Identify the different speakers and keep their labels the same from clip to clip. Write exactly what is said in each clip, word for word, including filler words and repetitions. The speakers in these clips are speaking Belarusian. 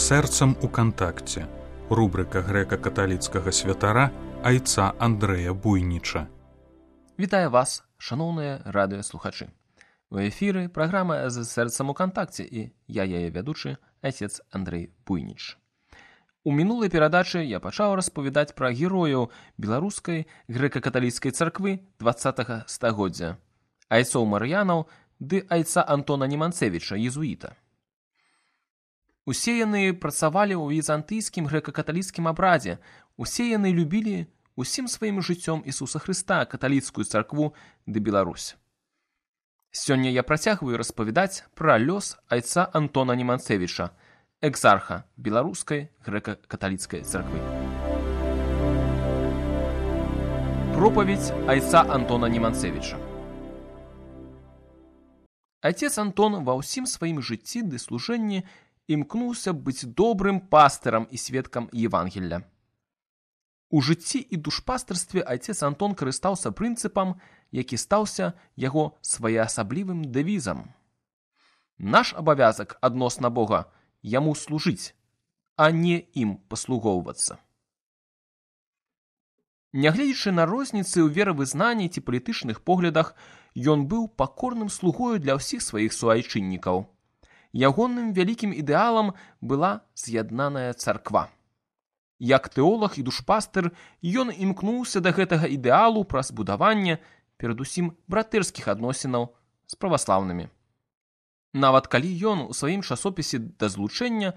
Speaker 1: Сэрцам у кантакце. Рубрика грэка-каталіцкага святара айца Андрэя Буйніча.
Speaker 2: Вітаю вас, шаноўныя радыёслухачы. У эфіры праграма «З сэрцам у кантакце» і я яе вядучы, айцец Андрэй Буйніч. У мінулай перадачы я пачаў распавядаць пра герояў беларускай грэка-каталіцкай царквы дваццатага стагоддзя, айцоў Мар'янаў ды айца Антона Неманцевіча, езуіта. Усе яны працавалі ў візантыйскім грэка-каталіцкім абрадзе, усе яны любілі усім сваім жыццём Ісуса Хрыста, каталіцкую царкву ды Беларусь. Сёння я працягваю распавядаць пра лёс айца Антона Неманцевіча, экзарха беларускай грэка-каталіцкай царквы. Пропаведь айца Антона Неманцевіча. Айцец Антон ва ўсім сваім жыцці ды служэнні імкнуўся быць добрым пастырам і сведкам Евангелля. У жыцці і душпастырстве айцец Антон карыстаўся прынцыпам, які стаўся яго своеасаблівым дэвізам. Наш абавязак адносна Бога яму служыць, а не ім паслугоўвацца. Нягледзячы на розніцы ў веравызнанні ці палітычных поглядах, ён быў пакорным слугою для ўсіх сваіх суайчыннікаў. Ягоным вялікім ідэалам была з'яднаная царква. Як тэолаг і душпастыр, ён імкнуўся да гэтага ідэалу праз будаванне, перадусім братэрскіх адносінаў з праваслаўнымі. Нават калі ён у сваім часопісе да злучэння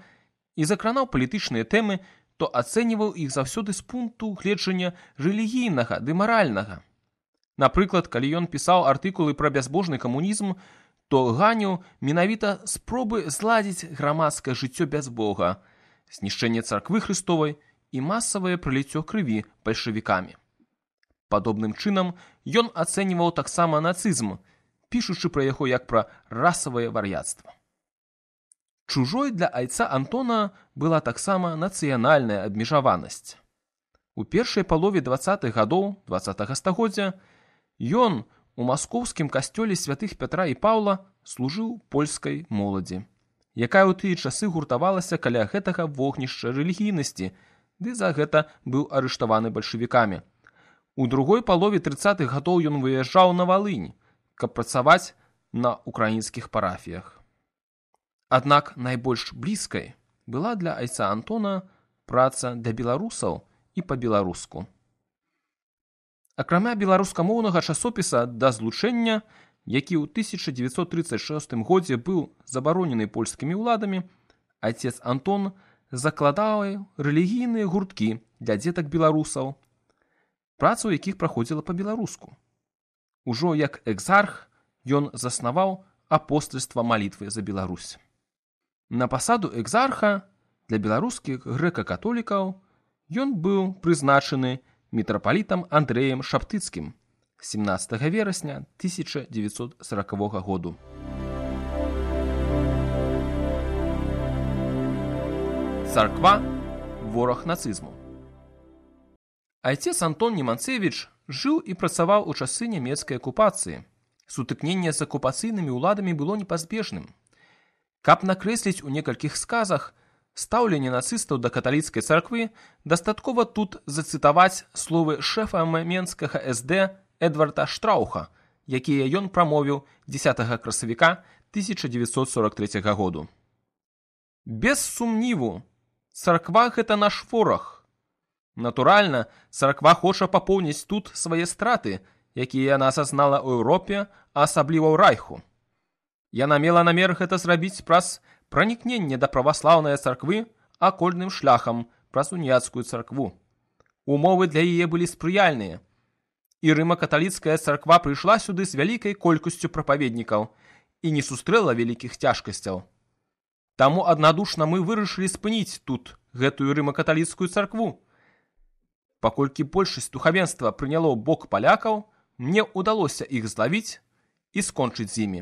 Speaker 2: і закранаў палітычныя тэмы, то ацэньваў іх заўсёды з пункту гледжання рэлігійнага ды маральнага. Напрыклад, калі ён пісаў артыкулы пра бязбожны камунізм, то ганіў менавіта спробы зладзіць грамадскае жыццё без Бога, знішчэнне царквы Хрыстовай і масавае праліццё крыві бальшавікамі. Падобным чынам ён ацэньваў таксама нацызм, пішучы пра яго як пра расавае вар'яцтва. Чужой для айца Антона была таксама нацыянальная абмежаванасць. У першай палове дваццатых гадоў дваццатага стагоддзя ён у маскоўскім касцёле святых Пятра і Паўла служыў польскай моладзі, якая ў тыя часы гуртавалася каля гэтага вогнішча рэлігійнасці, ды за гэта быў арыштаваны бальшавікамі. У другой палове трыццатых гадоў ён выязджаў на Валынь, каб працаваць на украінскіх парафіях. Аднак найбольш блізкай была для айца Антона праца для беларусаў і па-беларуску. Акрамя беларускамоўнага часопіса «Да злучэння», які ў тысяча дзевяцьсот трыццаць шостым годзе быў забаронены польскімі ўладамі, айцец Антон закладаў рэлігійныя гурткі для дзетак беларусаў, праца ў якіх праходзіла па-беларуску. Ужо як экзарх ён заснаваў апостальства малітвы за Беларусь. На пасаду экзарха для беларускіх грэка-католікаў ён быў прызначаны мітрапалітам Андрэем Шаптыцкім семнаццатага верасня тысяча дзевяцьсот саракавога году. Царква – вораг нацызму. Айцец Антон Неманцевіч жыў і працаваў у часы нямецкай акупацыі. Сутыкненне з акупацыйнымі ўладамі было непазбежным. Каб накрэсліць у некалькіх сказах стаўленне нацыстаў да каталіцкай царквы, дастаткова тут зацытаваць словы шэфа менскага эс дэ Эдварда Штрауха, якія ён прамовіў дзесятага красавіка тысяча дзевяцьсот сорак трэцяга году. Без сумніву, царква – гэта наш вораг. Натуральна, царква хоча папоўніць тут свае страты, якія яна асазнала ў Еўропе, а асабліва ў Райху. Яна мела намер гэта зрабіць праз пранікненне да праваслаўнай царквы акольным шляхам праз уніяцкую царкву. Умовы для яе былі спрыяльныя, і рыма-каталіцкая царква прыйшла сюды з вялікай колькасцю прапаведнікаў і не сустрэла вялікіх цяжкасцяў. Таму аднадушна мы вырашылі спыніць тут гэтую рыма-каталіцкую царкву. Паколькі большасць духавенства прыняло бок палякаў, мне ўдалося іх злавіць і скончыць з імі.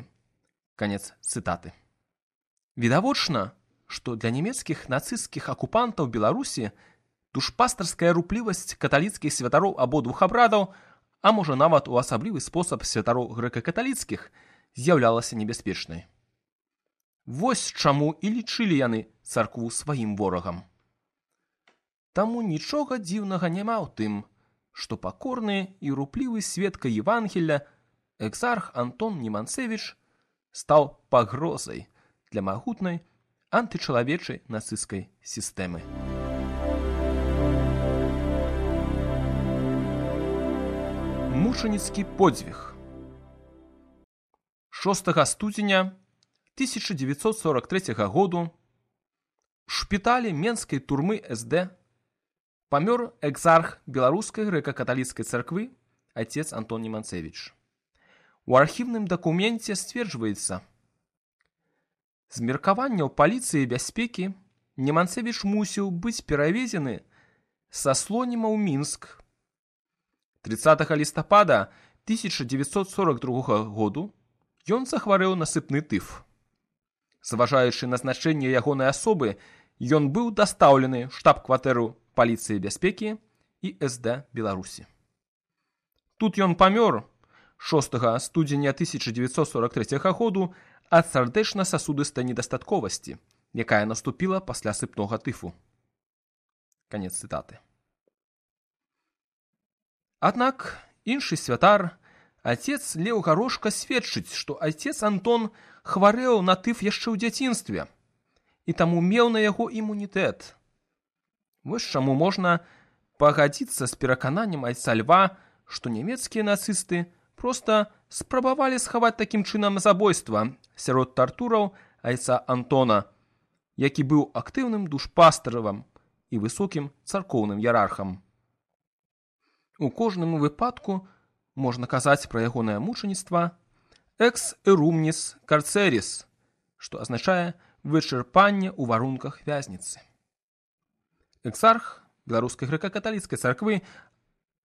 Speaker 2: Канец цытаты. Відавочна, што для нямецкіх нацысцкіх акупантаў Беларусі душпастарская руплівасць каталіцкіх святароў абодвух абрадаў, а можа нават у асаблівы спосаб святароў грэка-каталіцкіх, з'яўлялася небяспечнай. Вось чаму і лічылі яны царкву сваім ворагам. Таму нічога дзіўнага няма ў тым, што пакорны і руплівы сведка Евангелля экзарх Антон Неманцевіч стаў пагрозай для магутнай антычалавечай нацысцкай сістэмы. Мучаніцкі подзвіг. шостага студзеня тысяча девятьсот сорок третьего году в шпіталі Менскай турмы эс дэ памёр экзарх беларускай грэка-каталіцкай царквы отец Антон Неманцевіч. У архіўным дакуменце сцверджваецца: з меркаванняў паліцыі і бяспекі Неманцевіч мусіў быць перавезены са Слоніма ў Мінск. тридцатого лістапада тысяча девятьсот сорок другого году ён захварэў на сыпны тыф. Зважаючы на значэнне ягонай асобы, ён быў дастаўлены ў штаб-кватэру паліцыі і бяспекі і эс дэ Беларусі. Тут ён памёр шостага студзеня тысяча девятьсот сорок третьего году ад сардэчна-сасудыстай недастатковасці, якая наступіла пасля сыпнога тыфу. Канец цытаты. Аднак іншы святар, отец Леў Гарошка, сведчыць, што отец Антон хварэў на тыф яшчэ ў дзяцінстве і таму меў на яго імунітэт. Вось чаму можна пагадзіцца з перакананнем айца Льва, што нямецкія нацысты проста спрабавалі схаваць такім чынам забойства сярод тартураў айца Антона, які быў актыўным душпастаравам і высокім царкоўным іерархам. У кожным выпадку можна казаць пра ягонае мучаніцтва «ex erumnis carceris», што азначае вычарпанне ў варунках вязніцы. Экзарх беларускай грэка-каталіцкай царквы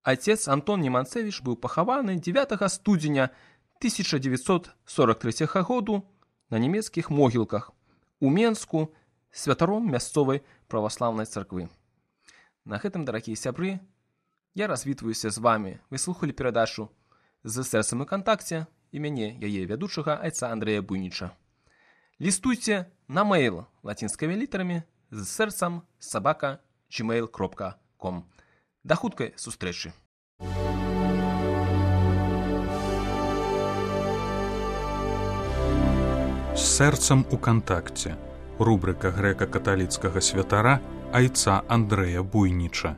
Speaker 2: отец Антон Неманцевіч быў пахаваны дзевятага студзеня тысяча девятьсот сорок третьего году на нямецкіх могілках у Менску святаром мясцовай праваслаўнай царквы. На гэтым, дарагія сябры, я развітваюся з вами. Вы слухалі перадачу «З сэрцам у кантакце» і мяне, яе вядучага айца Андрэя Буйніча. Лістуйце на мейл лацінскімі літарамі з сэрцам сабака джимейл кропка ком. Да хуткай сустрэчы!
Speaker 1: З сэрцам у кантакце. Рубрика грэка-каталіцкага святара айца Андрэя Буйніча.